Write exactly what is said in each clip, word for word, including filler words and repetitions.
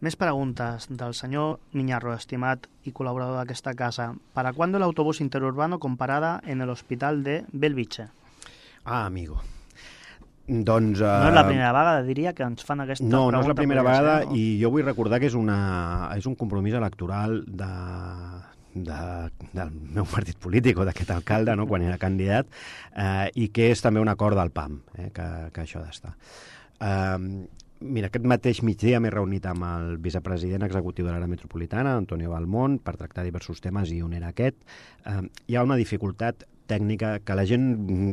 Més preguntes del senyor Miñarro, estimat i col·laborador d'aquesta casa. ¿Para cuándo el autobús interurbano con parada en el hospital de Belviche? Ah, amigo. Doncs, uh... no és la primera vegada, diria, que ens fan aquesta no, pregunta. No, no és la primera vegada, ser, no? I jo vull recordar que és, una, és un compromís electoral de, de, del meu partit polític o d'aquest alcalde, no?, quan era candidat, eh, i que és també un acord del P A M, eh, que, que això ha d'estar. Eh, Mira, aquest mateix migdia m'he reunit amb el vicepresident executiu de l'àrea metropolitana, Antonio Balmont, per tractar diversos temes i un era aquest. Eh, hi ha una dificultat tècnica que a la gent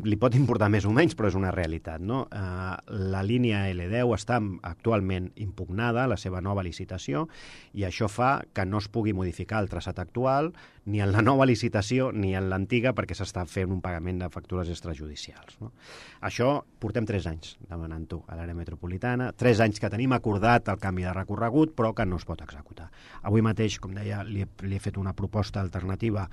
li pot importar més o menys, però és una realitat, no? Eh, la línia L deu està actualment impugnada, la seva nova licitació, i això fa que no es pugui modificar el traçat actual ni en la nova licitació ni en l'antiga perquè s'està fent un pagament de factures extrajudicials, no? Això portem tres anys demanant-ho a l'àrea metropolitana, tres anys que tenim acordat el canvi de recorregut però que no es pot executar. Avui mateix, com deia, li he, li he fet una proposta alternativa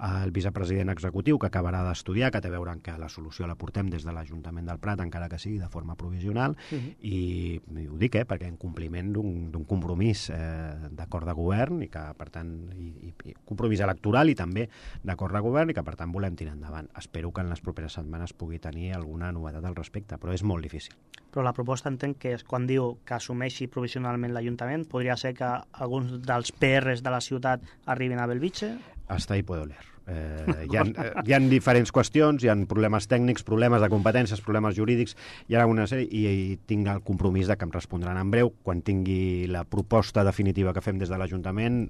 al vicepresident executiu que acabarà d'estudiar, que té a veure amb que la solució la portem des de l'Ajuntament del Prat, encara que sigui de forma provisional, uh-huh. i, i ho dic, eh, perquè en compliment d'un compromís eh, d'acord de govern i que, per tant, i, i compromís electoral i també d'acord de govern i que, per tant, volem tirar endavant. Espero que en les properes setmanes pugui tenir alguna novetat al respecte, però és molt difícil. Però la proposta entenc que és quan diu que assumeixi provisionalment l'Ajuntament, podria ser que alguns dels P Rs de la ciutat arribin a Belviche? Hasta ahí puedo leer. Eh, hi, ha, eh, hi ha diferents qüestions, hi ha problemes tècnics, problemes de competències, problemes jurídics, hi ha una sèrie, i, i tinc el compromís de que em respondran en breu. Quan tingui la proposta definitiva que fem des de l'Ajuntament,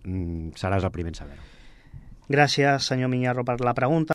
seràs el primer en saber-ho. Gràcies, senyor Miñarro, per la pregunta.